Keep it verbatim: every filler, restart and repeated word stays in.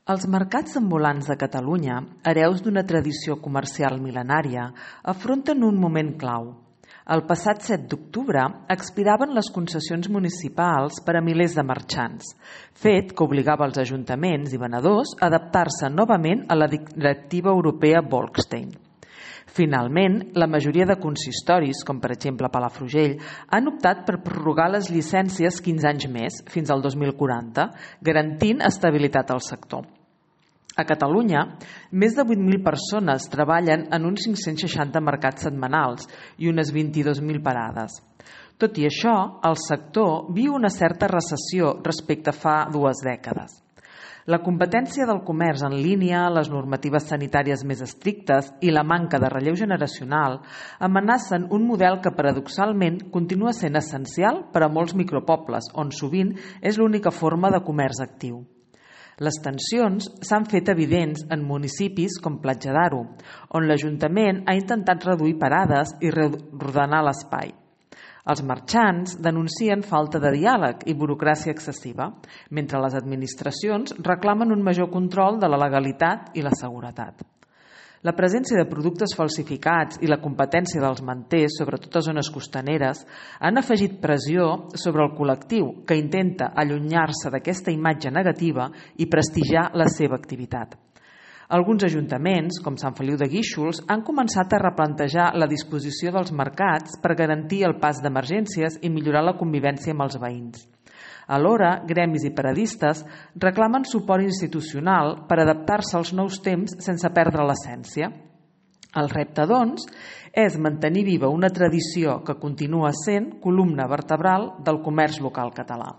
Els mercats ambulants de Catalunya, hereus d'una tradició comercial mil·lenària, afronten un moment clau. El passat set d'octubre expiraven les concessions municipals per a milers de marxants, fet que obligava els ajuntaments i venedors a adaptar-se novament a la directiva europea Bolkestein. Finalment, la majoria de consistoris, com per exemple Palafrugell, han optat per prorrogar les llicències quinze anys més, fins al dos mil quaranta, garantint estabilitat al sector. A Catalunya, més de vuit mil persones treballen en uns cinc-cents seixanta mercats setmanals i unes vint-i-dos mil parades. Tot i això, el sector viu una certa recessió respecte a fa dues dècades. La competència del comerç en línia, les normatives sanitàries més estrictes i la manca de relleu generacional amenacen un model que paradoxalment continua sent essencial per a molts micropobles, on sovint és l'única forma de comerç actiu. Les tensions s'han fet evidents en municipis com Platja d'Aro, on l'Ajuntament ha intentat reduir parades i reordenar l'espai. Els marxants denuncien falta de diàleg i burocràcia excessiva, mentre les administracions reclamen un major control de la legalitat i la seguretat. La presència de productes falsificats i la competència dels manters, sobretot a zones costaneres, han afegit pressió sobre el col·lectiu que intenta allunyar-se d'aquesta imatge negativa i prestigiar la seva activitat. Alguns ajuntaments, com Sant Feliu de Guíxols, han començat a replantejar la disposició dels mercats per garantir el pas d'emergències i millorar la convivència amb els veïns. Alhora, gremis i paradistes reclamen suport institucional per adaptar-se als nous temps sense perdre l'essència. El repte, doncs, és mantenir viva una tradició que continua sent columna vertebral del comerç local català.